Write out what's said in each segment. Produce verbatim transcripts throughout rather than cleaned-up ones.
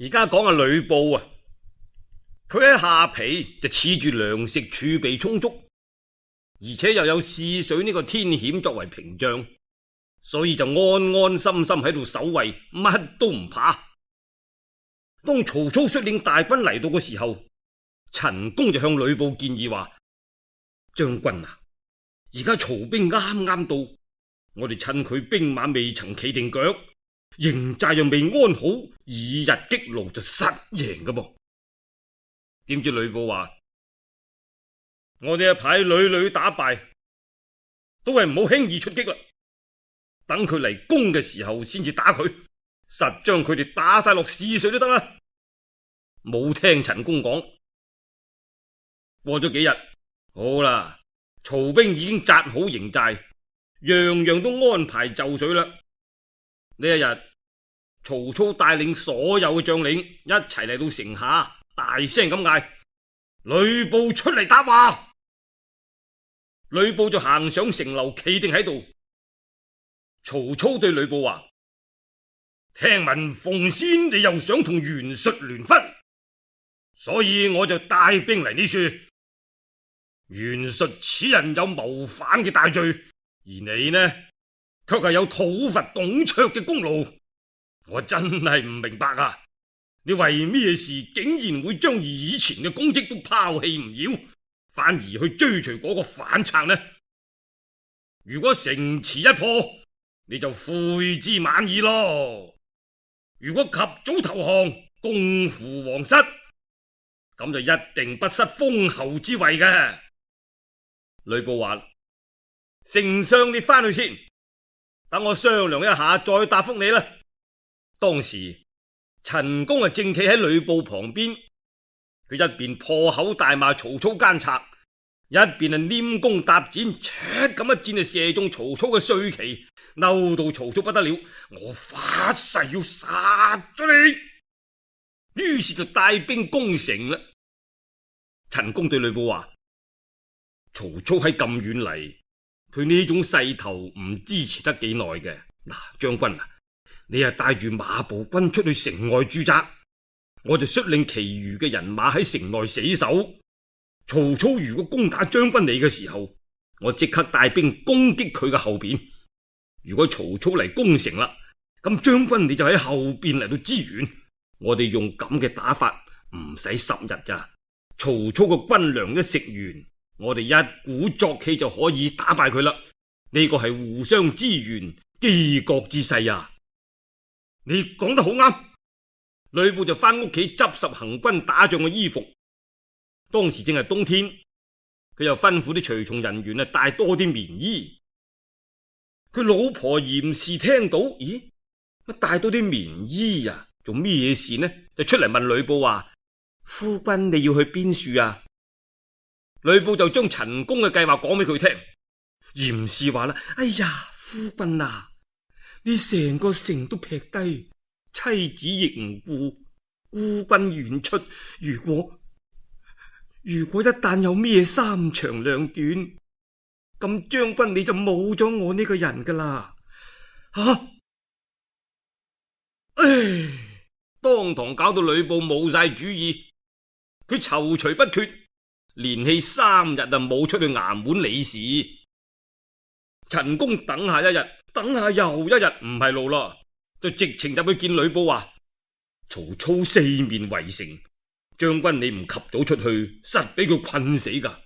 而家講下呂布啊，佢喺下邳就恃住糧食儲備充足，而且又有泗水呢個天險作為屏障，所以就安安心心喺度守衛，乜都唔怕。當曹操率領大軍嚟到嘅時候，陳宮就向呂布建議話：將軍啊，而家曹兵啱啱到，我哋趁佢兵馬未曾企定腳，營寨又未安好，以逸擊勞就實贏㗎噃。點知呂布話：我哋一排屢屢打敗，都係唔好輕易出擊啦，等佢嚟攻嘅時候先至打佢，實將佢哋打晒落泗水都得啦。冇聽陳宮講。過咗幾日，好啦，曹兵已經紮好營寨，樣樣都安排就緒啦。呢一日，曹操帶領所有嘅將領一齊嚟到城下，大聲咁嗌：呂布出嚟答話！呂布就行上城樓，企定喺度。曹操對呂布話：聽聞奉先你又想同袁術聯婚，所以我就帶兵嚟呢處。袁術此人有謀反嘅大罪，而你呢，卻係有討伐董卓嘅功勞。我真係唔明白啊！你為咩事竟然會將以前嘅功績都拋棄唔要，反而去追隨嗰個反賊呢？如果城池一破，你就悔之晚矣咯。如果及早投降，共扶皇室，咁就一定不失封侯之位嘅。呂布話：丞相你翻去先，等我商量一下再答覆你啦。當時陳宮啊正企喺呂布旁邊，佢一邊破口大罵曹操奸賊，一邊啊拈弓搭箭，唰咁一箭就射中曹操嘅帥旗，嬲到曹操不得了，我發誓要殺咗你。於是就帶兵攻城啦。陳宮對呂布話：曹操喺咁遠嚟，佢呢種勢頭唔支持得幾耐嘅。嗱，將軍啊，你係帶住馬步軍出去城外駐紮，我就率領其餘嘅人馬喺城內死守。曹操如果攻打將軍你嘅時候，我即刻帶兵攻擊佢嘅後邊。如果曹操嚟攻城啦，咁將軍你就喺後邊嚟到支援。我哋用咁嘅打法，唔使十日咋。曹操嘅軍糧一食完，我哋一鼓作氣就可以打敗佢啦。呢個係互相支援、機國之勢啊！你講得好啱。呂布就翻屋企執拾行軍打仗嘅衣服。當時正係冬天，佢又吩咐啲隨從人員啊帶多啲棉衣。佢老婆嚴氏聽到，咦，乜帶多啲棉衣啊？做咩事呢？就出嚟問呂布話：夫君你要去邊處啊？呂布就將陳宮嘅計劃講俾佢聽。嚴氏話啦：哎呀，夫君啊，你成個城都劈低，妻子亦唔顧，孤軍遠出，如果如果一旦有咩三長兩短，咁將軍你就冇咗我呢個人噶啦。吓、啊，唉，當堂搞到呂布冇晒主意，佢躊躇不決，連氣三日啊冇出去衙門理事。陳宮等下一日，等下又一日，唔係路啦，就直情入去見呂布話：曹操四面圍城，將軍你唔及早出去，實俾佢困死噶。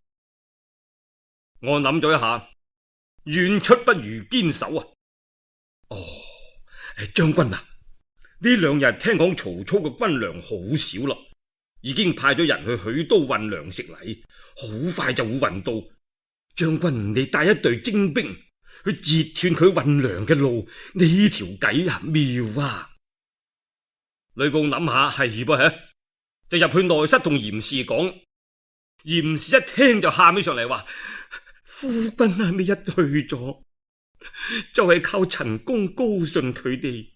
我諗咗一下，遠出不如堅守啊。哦，將軍啊，呢兩日聽講曹操嘅軍糧好少啦，已經派咗人去許都運糧食嚟，好快就會運到。將軍你帶一隊精兵去截斷佢運糧嘅路，呢條計啊妙啊！呂布諗下係噃，就入去內室同嚴氏講。嚴氏一聽就喊起上嚟話：夫君啊，你一去咗，就係靠陳宮高順佢哋，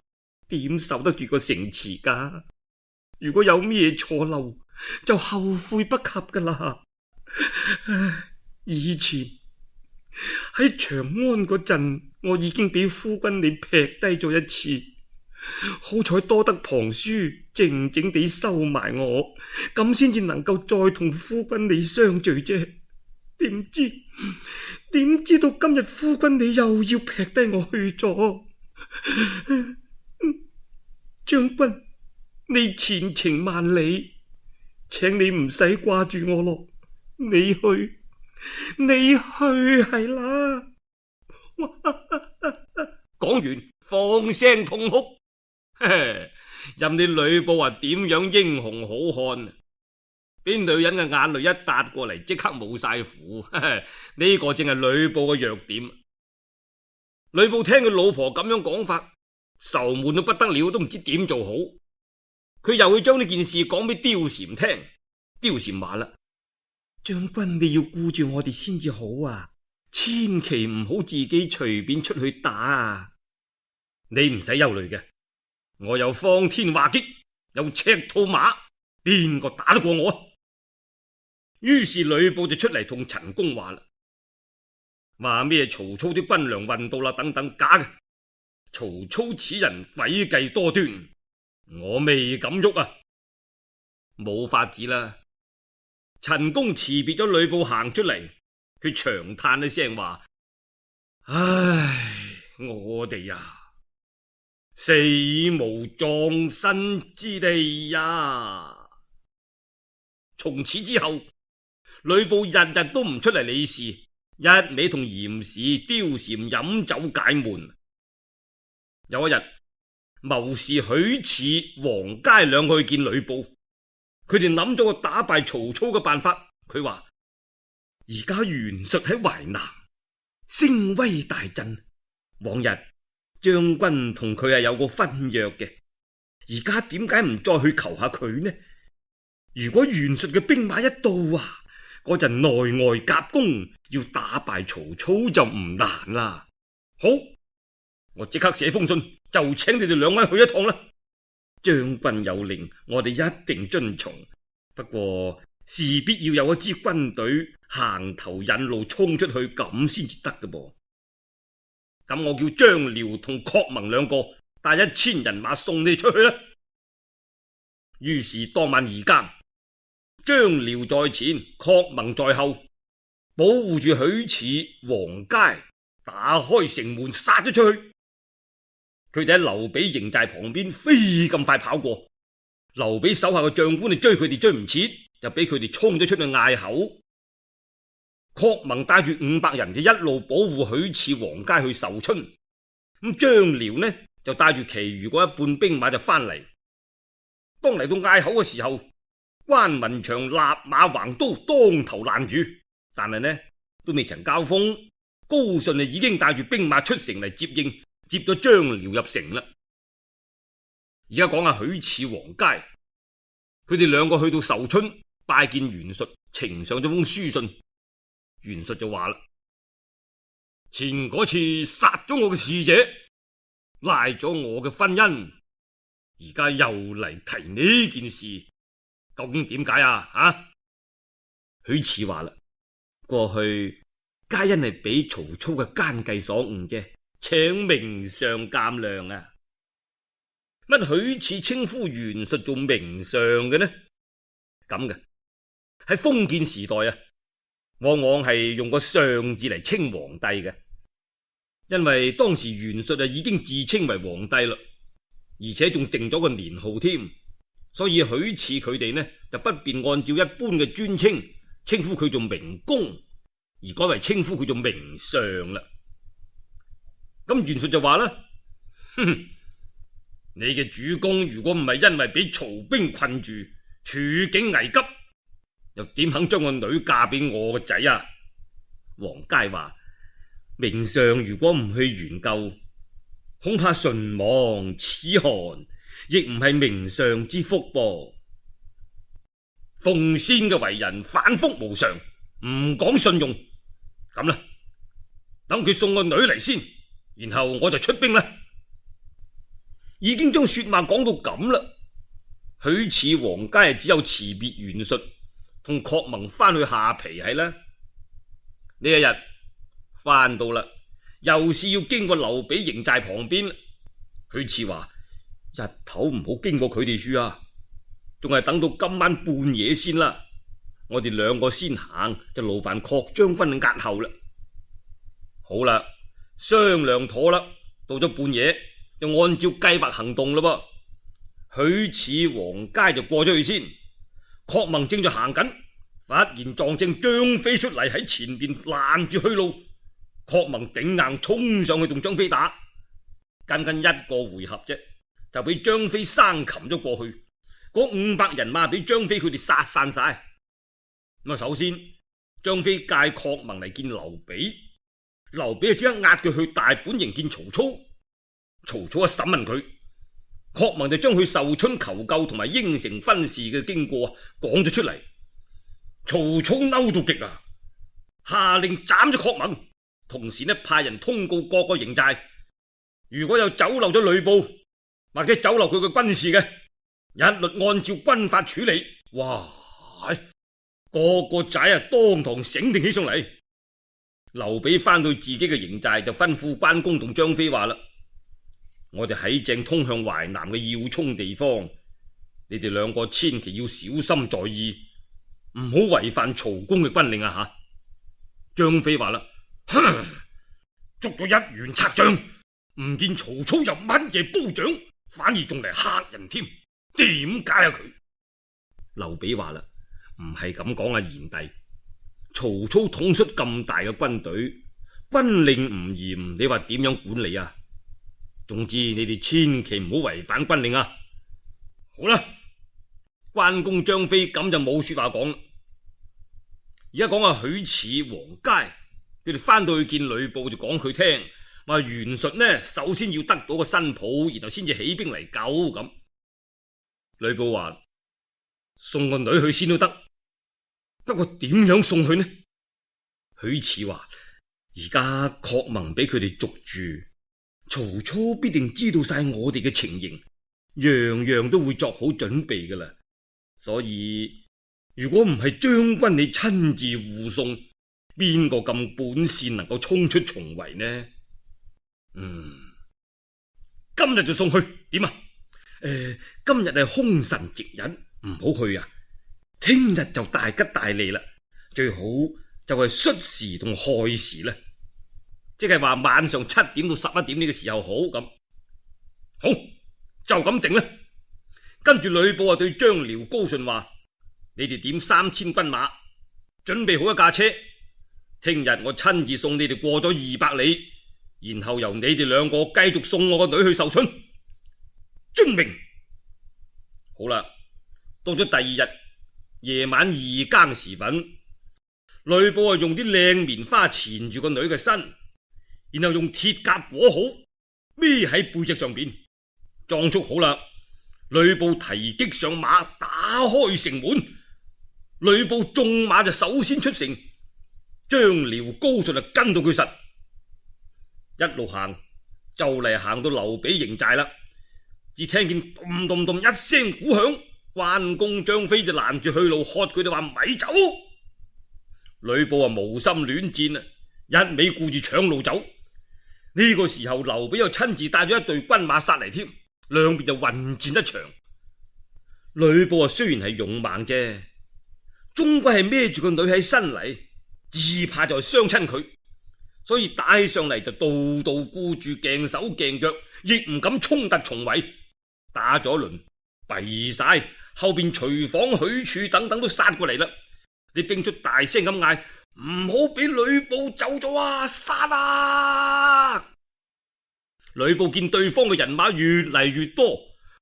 點守得住個城池噶？如果有咩錯漏，就後悔不及噶啦。以前喺長安嗰陣，我已經俾夫君你劈低咗一次，好彩多得龐叔靜靜地收埋我，咁先至能夠再同夫君你相聚啫。點知點知道今日夫君你又要劈低我去咗。將軍，你前程萬里，請你唔使掛住我咯。你去，你去係啦。講完放聲痛哭，任你呂布話點樣英雄好漢，俾女人嘅眼淚一搭過嚟，即刻冇晒符。呢個正係呂布嘅弱點。呂布聽佢老婆咁樣講法，愁悶到不得了，都唔知點做好。佢又去將呢件事講俾貂蟬聽。貂蟬話啦：將軍你要顧住我哋先至好啊，千祈唔好自己隨便出去打啊。你唔使憂慮嘅，我有方天畫戟，有赤兔馬，邊個打得過我？於是呂布就出嚟同陳宮話啦，話咩曹操啲軍糧運到啦，等等，假嘅。曹操此人詭計多端，我未敢喐啊。冇法子啦。陳宮辭別咗呂布行出嚟，佢長嘆一聲話：唉，我哋呀，死無葬身之地呀！從此之後，呂布日日都唔出嚟理事，一味同嚴氏、貂蟬飲酒解悶。有一日，謀士許褚、黃佳兩個去見呂布，佢哋諗咗個打敗曹操嘅辦法。佢話：而家袁術喺淮南，聲威大振。往日將軍同佢係有個婚約嘅，而家點解唔再去求下佢呢？如果袁術嘅兵馬一到啊，嗰陣內外夾攻，要打敗曹操就唔難啦。好，我即刻寫封信，就請你哋兩位去一趟啦。將軍有令，我哋一定遵從。不過事必要有一支軍隊行頭引路衝出去，咁先至得嘅噃。咁我叫張遼同郝萌兩個帶一千人馬送你出去啦。於是當晚二更，張遼在前，郝萌在後，保護住許褚、黃佳，打開城門殺咗出去。佢哋喺劉備營寨旁邊飛咁快跑過，劉備手下嘅將官哋追佢哋追唔切，就俾佢哋衝咗出去隘口。郝萌帶住五百人就一路保護許褚、黃佳去壽春，咁張遼呢就帶住其餘嗰一半兵馬就翻嚟。當嚟到隘口嘅時候，關雲長立馬橫刀當頭攔住，但係呢都未曾交鋒，高順就已經帶住兵馬出城嚟接應，接咗張遼入城啦。而家講下許褚、黃佳，佢哋兩個去到壽春拜見袁術，呈上咗封書信。袁術就話啦：前嗰次殺咗我嘅使者，賴咗我嘅婚姻，而家又嚟提呢件事，究竟點解啊？啊？許褚話啦：過去皆因係俾曹操嘅奸計所誤啫，請明上鑒諒啊！乜許褚稱呼袁術做明上嘅呢？咁嘅喺封建時代啊，往往係用個上字嚟稱皇帝嘅，因為當時袁術啊已經自稱為皇帝啦，而且仲定咗個年號添，所以許褚佢哋呢就不便按照一般嘅尊稱稱呼佢做明公，而改為稱呼佢做明上啦。咁袁術就話啦：哼哼，你嘅主公如果唔係因為俾曹兵困住，處境危急，又點肯將個女嫁俾我個仔啊？黃佳話：明上如果唔去援救，恐怕唇亡齒寒，亦唔係明上之福噃。奉先嘅為人反覆無常，唔講信用，咁啦，等佢送個女嚟先，然後我就出兵啦。已經將說話講到咁啦，許褚、黃佳只有辭別袁術，同郝萌翻去下邳係啦。呢一日翻到啦，又是要經過劉備營寨旁邊。許褚話：日頭唔好經過佢哋處啊，仲係等到今晚半夜先啦。我哋兩個先行，就勞煩郝將軍押後啦。好啦，商量妥啦，到咗半夜就按照計劃行動啦噃。許褚、黃佳就過咗去先，郝萌正在行緊，忽然撞正張飛出嚟喺前邊攔住去路。郝萌頂硬衝上去同張飛打，僅僅一個回合啫，就俾張飛生擒咗過去。嗰五百人馬俾張飛佢哋殺散晒。咁啊，首先張飛介郝萌嚟見劉備，劉備就即刻押佢去大本營見曹操。曹操一審問佢，郝萌就將佢受春求救同埋應承婚事嘅經過講咗出嚟。曹操嬲到極啊，下令斬咗郝萌，同時呢派人通告各個營寨，如果有走漏咗呂布或者走漏佢嘅軍事嘅，一律按照軍法處理。哇！個個仔啊，當堂醒定起上嚟。劉備翻到自己嘅營寨，就吩咐關公同張飛話啦：我哋喺正通向淮南嘅要衝地方，你哋兩個千祈要小心在意，唔好違反曹公嘅軍令啊！吓，張飛話啦：哼，捉咗一員賊將，唔見曹操有乜嘢褒獎，反而仲嚟嚇人添，點解啊佢？劉備話啦：唔係咁講啊，賢弟，曹操統率咁大嘅軍隊，軍令唔嚴，你話點樣管理啊？總之你哋千祈唔好違反軍令啊！好啦，關公、張飛咁就冇說話講啦。而家講下許褚、黃佳，佢哋翻到去見呂布就講佢聽，話袁術呢首先要得到個新抱，然後先至起兵嚟救咁。呂布話：送個女去先都得。不過點樣送去呢？許褚話：而家郝萌俾佢哋捉住，曹操必定知道晒我哋嘅情形，樣樣都會作好準備噶啦。所以如果唔係將軍你親自護送，邊個咁本事能夠衝出重圍呢？嗯，今日就送去點啊？誒、呃，今日係凶神值日，唔好去啊！聽日就大吉大利啦，最好就係戌時同亥時啦，即係話晚上七點到十一點呢個時候好咁。好，就咁定啦。跟住呂布啊對張遼、高順話：你哋點三千軍馬，準備好一架車，聽日我親自送你哋過咗二百里，然後由你哋兩個繼續送我個女去壽春。遵命。好啦，到咗第二日夜晚二更時分，呂布啊用啲靚棉花纏住個女嘅身，然後用鐵甲裹好，孭喺背脊上邊，裝束好啦。呂布提擊上馬，打開城門。呂布縱馬就首先出城，張遼、高順就跟到佢實，一路行就嚟行到劉備營寨啦。只聽見咚咚咚一聲鼓響，關公、張飛就攔住去路，喝佢哋話咪走。呂布啊無心戀戰啊，一味顧住搶路走。呢、這個時候劉備又親自帶咗一隊軍馬殺嚟添，兩邊就混戰一場。呂布啊雖然係勇猛啫，終歸係孭住個女喺身嚟，只怕就係傷親佢，所以帶上嚟就度度顧住鏡手鏡腳，亦唔敢衝突重圍。打咗一輪弊晒，後邊徐晃、許褚等等都殺過嚟啦。啲兵卒大聲咁嗌：唔好俾呂布走咗啊！殺啊！呂布見對方嘅人馬越嚟越多，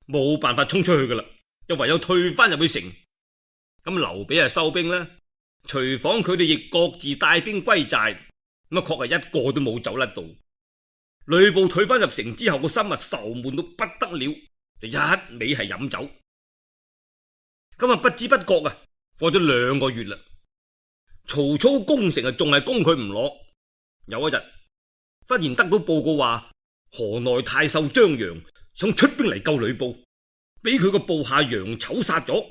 冇辦法衝出去噶啦，又唯有退翻入去城。咁劉備啊收兵啦，徐晃佢哋亦各自帶兵歸寨，咁啊確係一個都冇走甩到。呂布退翻入城之後，個心啊愁悶到不得了，就一味係飲酒。咁啊不知不覺啊過咗兩個月啦，曹操攻城啊仲係攻佢唔落。有一日忽然得到報告話，河內太守張楊想出兵嚟救呂布，俾佢個部下楊丑殺咗。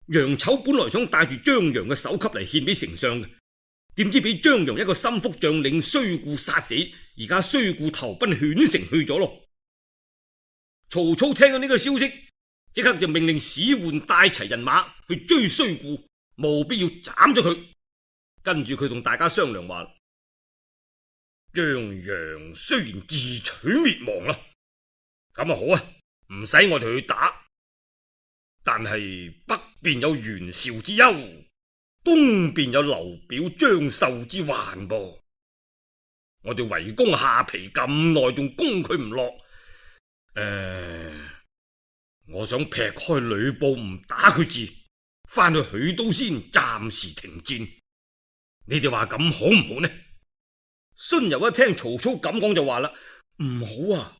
楊丑本來想帶住張楊嘅首級嚟獻俾丞相嘅，點知俾張楊一個心腹將領須固殺死，而家須固投奔犬城去咗咯。曹操聽到呢個消息，即刻就命令史渙帶齊人馬去追睢固，務必要斬咗佢。跟住佢同大家商量話：張楊雖然自取滅亡啦，咁啊好啊，唔使我哋去打，但係北邊有袁紹之憂，東邊有劉表張繡之患噃。我哋圍攻下邳咁耐，仲攻佢唔落。誒、呃，我想劈開呂布唔打佢住，翻去許都先暫時停戰。你哋話咁好唔好呢？荀攸一聽曹操咁講就話啦：唔好啊！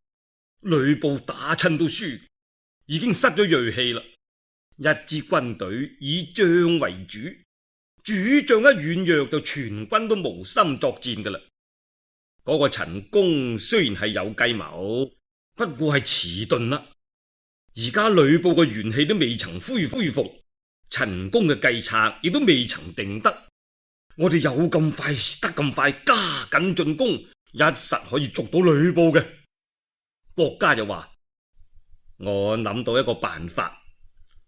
呂布打親都輸，已經失咗銳氣啦。一支軍隊以將為主，主將一軟弱就全軍都無心作戰噶啦。嗰個陳宮雖然係有計謀，不過係遲鈍啦。而家呂布嘅元氣都未曾恢恢復，陳宮嘅計策亦都未曾定得。我哋有咁快得咁快，加緊進攻，一實可以捉到呂布嘅。郭嘉就話：我諗到一個辦法，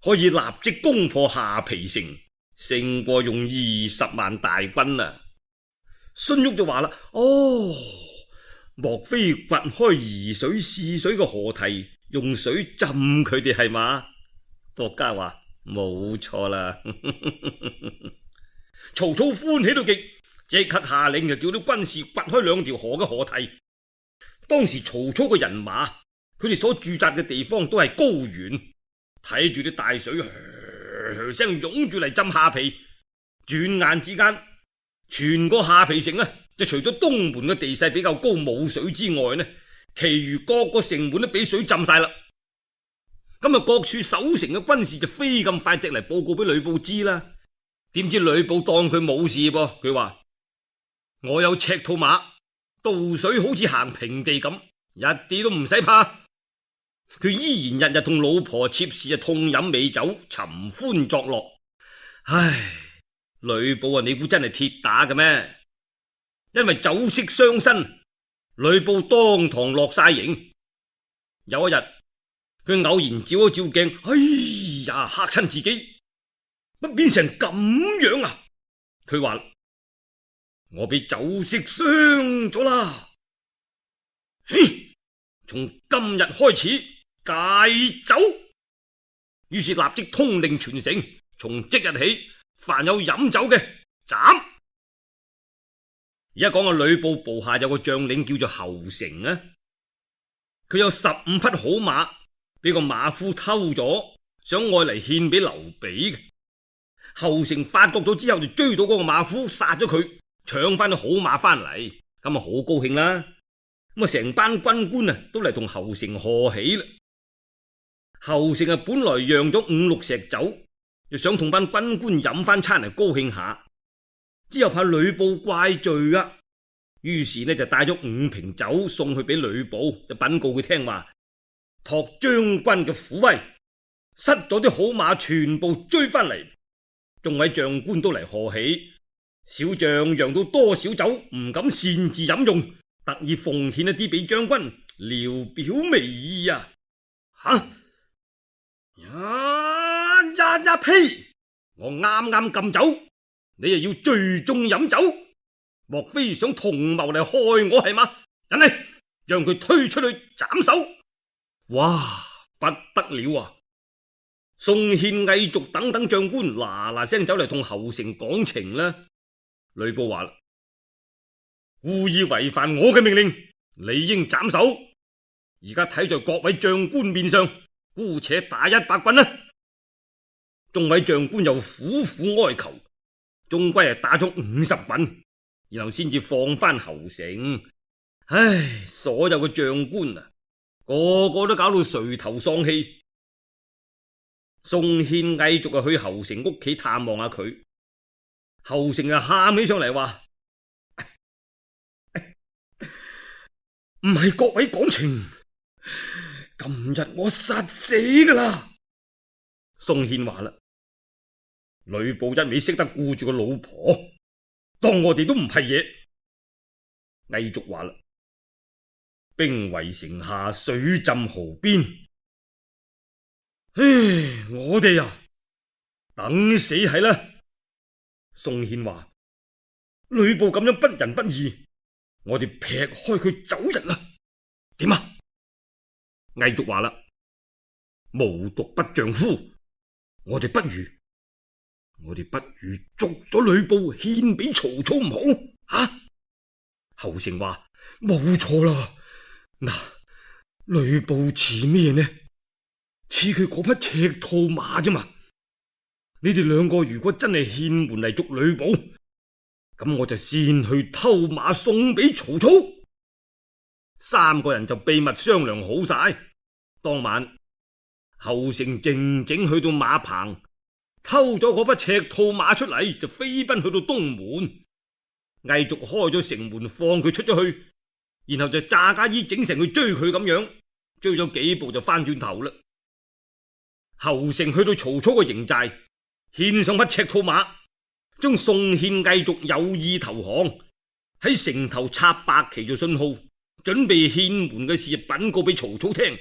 可以立即攻破下邳城，勝過用二十萬大軍啊！荀彧就話啦：哦，莫非掘開沂水泗水嘅河堤，用水浸佢哋係嘛？郭嘉話：冇錯啦。曹操歡喜到極，即刻下令就叫啲軍士掘開兩條河嘅河堤。當時曹操嘅人馬，佢哋所駐紮嘅地方都係高原，睇住啲大水噓噓聲湧住嚟浸下邳。轉眼之間，全個下邳城啊，就除咗東門嘅地勢比較高冇水之外呢，其餘各個城門都俾水浸晒啦。咁啊，各處守城嘅軍士就飛咁快隻嚟報告俾呂布知啦。點知呂布當佢冇事噃，佢話：我有赤兔馬，渡水好似行平地咁，一啲都唔使怕。佢依然日日同老婆妾侍啊痛飲美酒，尋歡作樂。唉，呂布啊，你估真係鐵打嘅咩？因為酒色傷身，呂布當堂落晒刑。有一日，佢偶然照一照鏡，哎呀，嚇親自己。乜變成咁樣啊？佢話：我俾酒色傷咗啦！嘿，從今日開始戒酒。於是立即通令全城，從即日起，凡有飲酒嘅斬。而家講個呂布部下有個將領叫做侯成啊，佢有十五匹好馬，俾個馬夫偷咗，想愛嚟獻俾劉備嘅。侯成發覺咗之後，就追到嗰個馬夫，殺咗佢，搶翻啲好馬翻嚟，咁啊好高興啦！咁啊成班軍官啊都嚟同侯成賀喜啦。侯成啊本來釀咗五六石酒，又想同班軍官飲翻餐嚟高興下，之後怕呂布怪罪啊，於是呢就帶咗五瓶酒送去俾呂布，就稟告佢聽話：託將軍嘅虎威，失咗啲好馬全部追翻嚟。眾位將官都嚟賀喜，小將釀到多少酒唔敢擅自飲用，特意奉獻一啲俾將軍，聊表微意啊！吓呀呀呀呸！我啱啱禁酒，你又要聚眾飲酒，莫非想同謀嚟害我係嘛？人嚟，讓佢推出去斬首！哇，不得了啊！宋憲、魏續等等將官嗱嗱聲走嚟同侯成講情啦。呂布話啦：故意違反我嘅命令，理應斬首。而家睇在各位將官面上，姑且打一百棍啦。眾位將官又苦苦哀求，終歸係打咗五十棍，然後先至放翻侯成。唉，所有嘅將官啊，個個都搞到垂頭喪氣。宋憲、魏續啊去侯成屋企探望下佢，侯成啊喊起上嚟話：唔係各位講情，今日我殺死噶啦！宋憲話啦：呂布一味識得顧住個老婆，當我哋都唔係嘢。魏續話啦：兵圍城下，水浸壕邊，唉，我哋啊，等死係啦。宋憲話：呂布咁樣不仁不義，我哋劈開佢走人啦。點啊？魏續話啦：無毒不丈夫，我哋不如，我哋不如捉咗呂布獻俾曹操唔好啊？侯成話：冇錯啦。嗱，呂布似咩呢？似佢嗰匹赤兔馬啫嘛。你哋兩個如果真係獻門嚟捉呂布，咁我就先去偷馬送俾曹操。三個人就秘密商量好晒。當晚，侯成靜靜去到馬棚，偷咗嗰匹赤兔馬出嚟，就飛奔去到東門。魏續開咗城門放佢出咗去，然後就詐假意整成去追佢咁樣，追咗幾步就翻轉頭啦。侯成去到曹操嘅營寨，獻上匹赤兔馬，將宋憲、魏續有意投降，喺城頭插白旗做信號，準備獻門嘅事稟告俾曹操聽。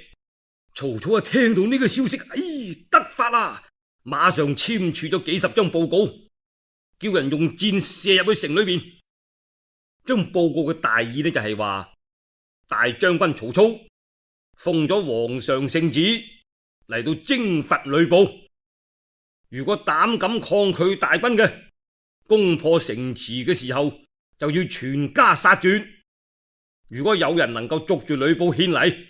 曹操啊，聽到呢個消息，哎，得法啦，馬上簽署咗幾十張報告，叫人用箭射入去城裏邊。將報告嘅大意呢，就係話大將軍曹操奉咗皇上聖旨嚟到征伐呂布，如果膽敢抗拒大軍嘅，攻破城池嘅時候就要全家殺絕。如果有人能夠捉住呂布獻禮，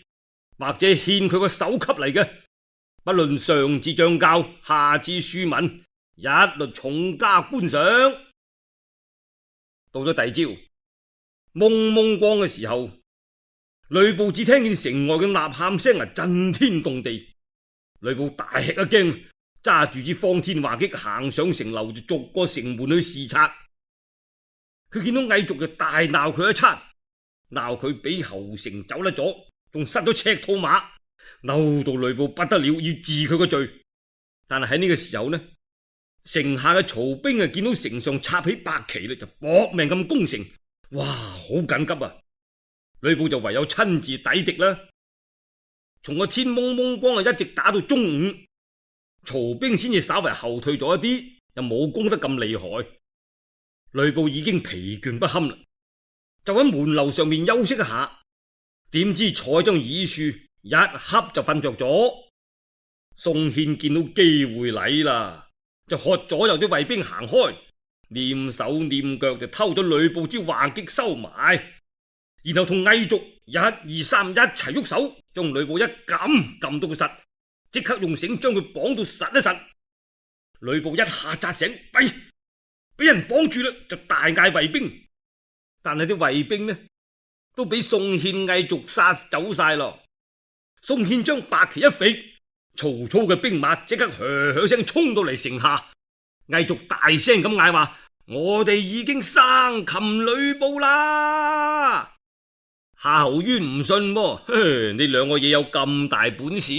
或者獻佢個首級嚟嘅，不論上至將校，下至庶民，一律重加觀賞。到咗第二朝，蒙蒙光嘅時候，呂布只聽見城外嘅吶喊聲啊，震天動地。呂布大吃一驚，揸住支方天畫戟行上城樓，就逐個城門去視察。佢見到魏續就大鬧佢一餐，鬧佢俾侯成走甩咗，仲失咗赤兔馬，嬲到呂布不得了，要治佢個罪。但係喺呢個時候呢，城下嘅曹兵啊見到城上插起白旗咧，就搏命咁攻城。哇，好緊急啊！呂布就唯有親自抵敵啦。從個天蒙蒙光啊，一直打到中午，曹兵先至稍為後退咗一啲，又冇攻得咁厲害。呂布已經疲倦不堪啦，就喺門樓上面休息一下。點知坐喺張椅樹一瞌就瞓着咗。宋憲見到機會嚟啦，就喝左右啲衛兵行開，念手念腳就偷咗呂布支畫戟收埋，然後同魏續一二三一齊喐手，將呂布一撳撳到佢實，即刻用繩將佢綁到實一實。呂布一下扎醒，喂，俾人綁住啦，就大嗌衛兵，但係啲衛兵呢都俾宋憲、魏續殺走晒咯。宋憲將白旗一揮，曹操嘅兵馬即刻噓噓聲衝到嚟城下。魏續大聲咁嗌話：我哋已經生擒呂布啦！夏侯淵唔信喎，呵，你兩個嘢有咁大本事？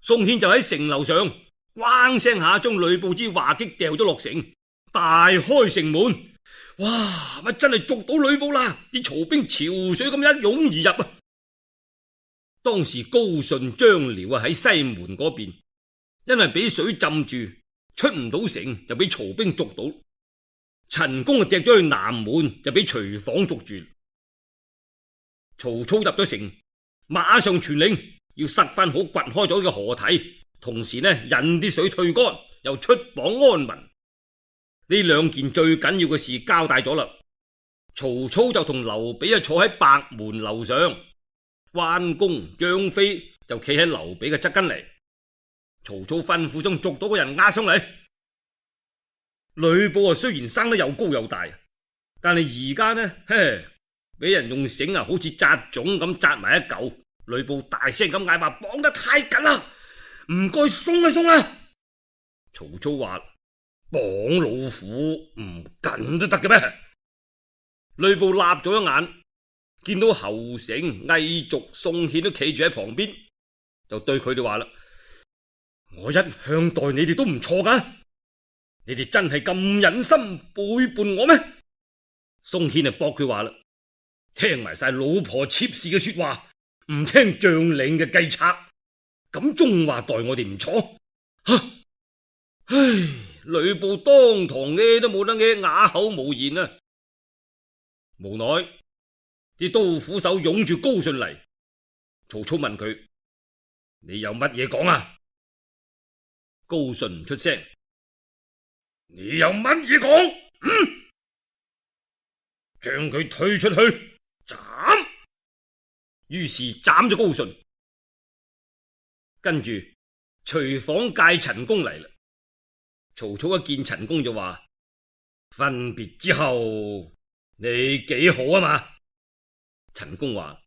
宋憲就喺城樓上咣聲下將呂布支畫戟掉咗落城，大開城門。哇！乜真係捉到呂布啦！啲曹兵潮水咁一湧而入啊！當時高順、張遼啊喺西門嗰邊，因為俾水浸住，出唔到城，就俾曹兵捉到。陳宮啊趯咗去南門，就俾徐晃捉住。曹操入咗城，馬上傳令要塞翻好掘開咗嘅河堤，同時呢引啲水退乾，又出榜安民。呢兩件最緊要嘅事交代咗啦。曹操就同劉備啊坐喺白門樓上，關公、張飛就企喺劉備嘅側跟嚟。曹操吩咐將捉到個人押上嚟。呂布啊雖然生得又高又大，但係而家呢，嘿，俾人用繩啊好似紮粽咁紮埋一嚿。呂布大聲咁嗌話：綁得太緊啦，唔該鬆一鬆啊！曹操話：綁老虎唔緊都得嘅咩？呂布立咗一眼，見到侯成、魏續、宋憲都企住喺旁邊，就對佢哋話啦：我一向待你哋都唔錯噶，你哋真係咁忍心背叛我咩？宋憲就駁佢話啦：聽埋晒老婆妾侍嘅說話，唔聽將領嘅計策，咁仲話待我哋唔錯？唉，呂布當堂嘅都冇得嘅，啞口無言啊！無奈啲刀斧手擁住高順嚟，曹操問佢：你有乜嘢講啊？高順唔出聲。你有乜嘢講？嗯，將佢推出去斬。於是斬咗高順，跟住隨訪介陳宮嚟啦。曹操一見陳宮就話：分別之後你幾好啊嘛？陳宮話：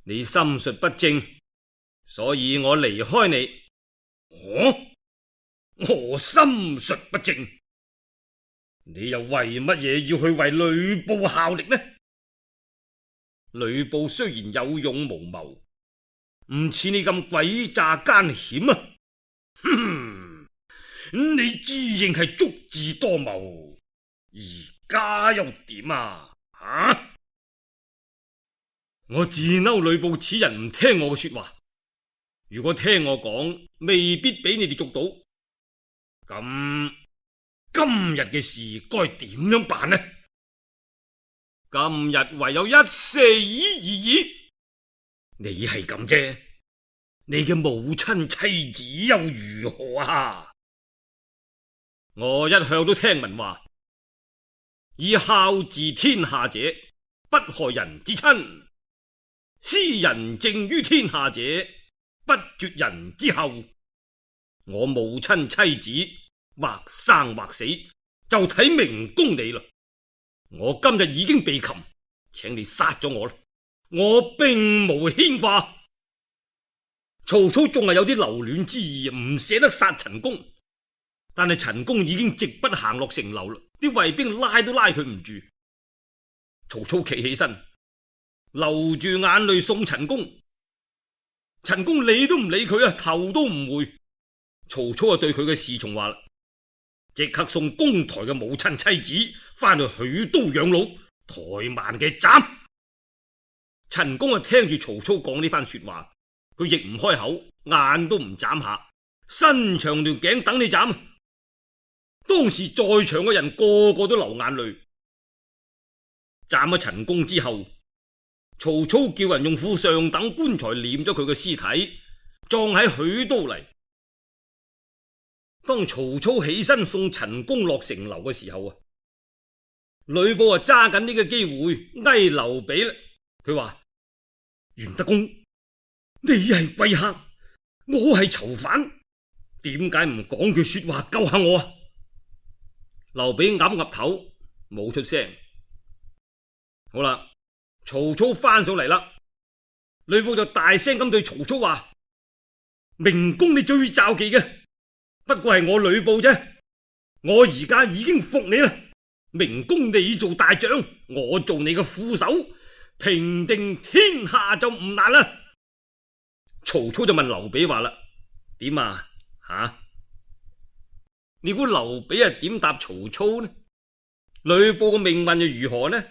你心術不正，所以我離開你。我我心術不正，你又為乜嘢要去為呂布效力呢？呂布雖然有勇無謀，唔似你咁詭詐奸險啊！哼，你自認係足智多謀，而家又點啊？啊！我自嬲呂布此人唔聽我嘅說話，如果聽我講，未必俾你哋捉到。咁今日嘅事該點樣辦呢？今日唯有一射耳而已。你係咁啫，你嘅母親妻子又如何啊？我一向都聽聞話，以孝治天下者，不害人之親；施仁政於天下者，不絕人之後。我母親妻子或生或死，就睇明公你啦。我今日已經被擒，請你殺咗我啦。我並無牽掛。曹操仲係有啲留戀之意，唔捨得殺陳宮，但係陳宮已經直不行落城樓啦，啲衛兵拉都拉佢唔住。曹操企起身，流住眼淚送陳宮。陳宮理都唔理佢啊，頭都唔回。曹操啊，對佢嘅侍從話啦：即刻送公台嘅母親妻子翻去許都養老，怠慢嘅斬。陳宮啊，聽住曹操講呢番說話，佢亦唔開口，眼都唔眨下，伸長條頸等你斬。當時在場嘅人個個都流眼淚。斬咗陳宮之後，曹操叫人用副上等棺材殮咗佢嘅屍體，葬喺許都嚟。當曹操起身送陳宮落城樓嘅時候啊，呂布啊揸緊呢個機會哀劉備啦。佢話：袁德公，你係貴客，我係囚犯，點解唔講句說話救下我啊？劉備岌岌頭，冇出聲。好啦，曹操翻上嚟啦，呂布就大聲咁對曹操話：明公你最罩忌嘅，不過係我呂布啫，我而家已經服你啦。明公你做大將，我做你嘅副手，平定天下就唔難啦。曹操就問劉備話啦：點啊？吓、啊？你估劉備係點答曹操呢？呂布嘅命運又如何呢？